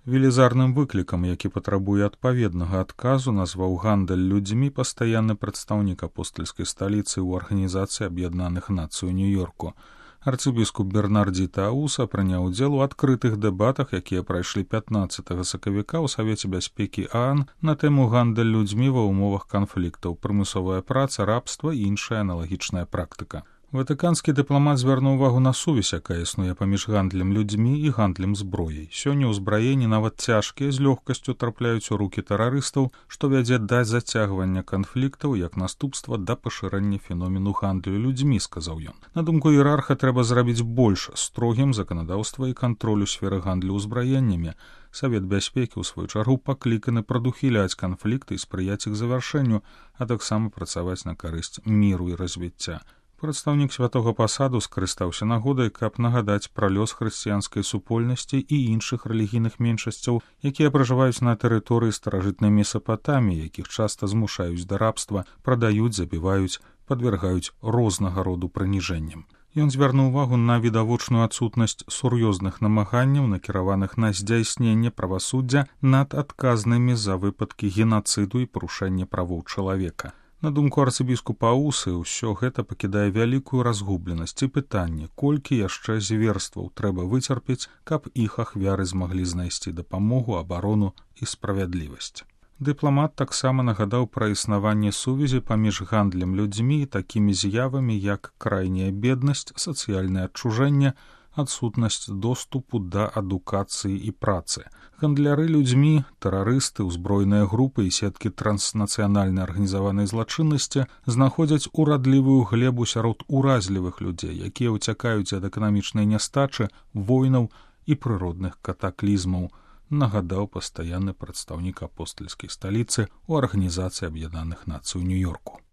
Велізарным выклікам, які патрабуе адпаведнага адказу, назваў гандаль людзьмі пастаянны прадстаўнік апостальскай сталіцы ў Арганізацыі Аб'яднаных Нацый у Нью-Йорку. Арцыбіскуп Бернардзі Тауса прыняў удзел у адкрытых дэбатах, якія прайшлі 15 сакавіка ў Савеце бяспекі ААН на тэму гандаль людзьмі ва ўмовах канфліктаў, прымусовая праца, рабства і іншая аналагічная практыка. Ватыканскі дыпламат звярнуў увагу на сувязь, якая існуе паміж гандлем людзьмі і гандлем зброяй. Сёння ўзбраенні нават цяжкія з лёгкасцю трапляюць у рукі тэрарыстаў, што вядзе да зацягвання канфліктаў як наступства да пашырэння феномену гандлю людзьмі, сказаў ён. На думку іерарха, трэба зрабіць больш строгім заканадаўства і кантроль у сферы гандлю ўзбраеннямі. Савет бяспекі ў сваю чаргу пакліканы прадухіляць канфлікты і спрыяць іх завяршэнню, а таксама працаваць на карысць міру і развіцця. Прадстаўнік святога пасаду скарыстаўся нагодай, каб нагадаць пра лёс хрысціянскай супольнасці і іншых рэлігійных меншасцяў, якія пражываюць на тэрыторыі старажытнай Месапатаміі, якіх часта змушаюць да рабства, прадаюць, забіваюць, падвяргаюць рознага роду прыніжэнням. Ён звярнуў увагу на відавочную адсутнасць сур'ёзных намаганняў, накіраваных на здзяйсненне правасуддзя над адказнымі за выпадкі генацыду і парушэння правоў чалавека. На думку арцыбіскупа Аусы, ўсё гэта пакідае вялікую разгубленасць і пытанне, колькі яшчэ зверстваў трэба выцерпець, каб іх ахвяры змаглі знайсці дапамогу, абарону і справядлівасць. Дыпламат таксама нагадаў пра існаванне сувязі паміж гандлем людзьмі і такімі з'явамі, як крайняя беднасць, сацыяльнае адчужэнне, адсутнасць доступу да адукацыі і працы. Гандляры людзьмі, тэрарысты, узброеныя групы і сеткі транснацыянальнай арганізаванай злачыннасці знаходзяць урадлівую глебу сярод уразлівых людзей, якія ўцякаюць ад эканамічнай нястачы, войнаў і прыродных катаклізмаў, нагадаў пастаянны прадстаўнік апостальскай сталіцы ў Арганізацыі Аб'яднаных Нацый у Нью-Йорку.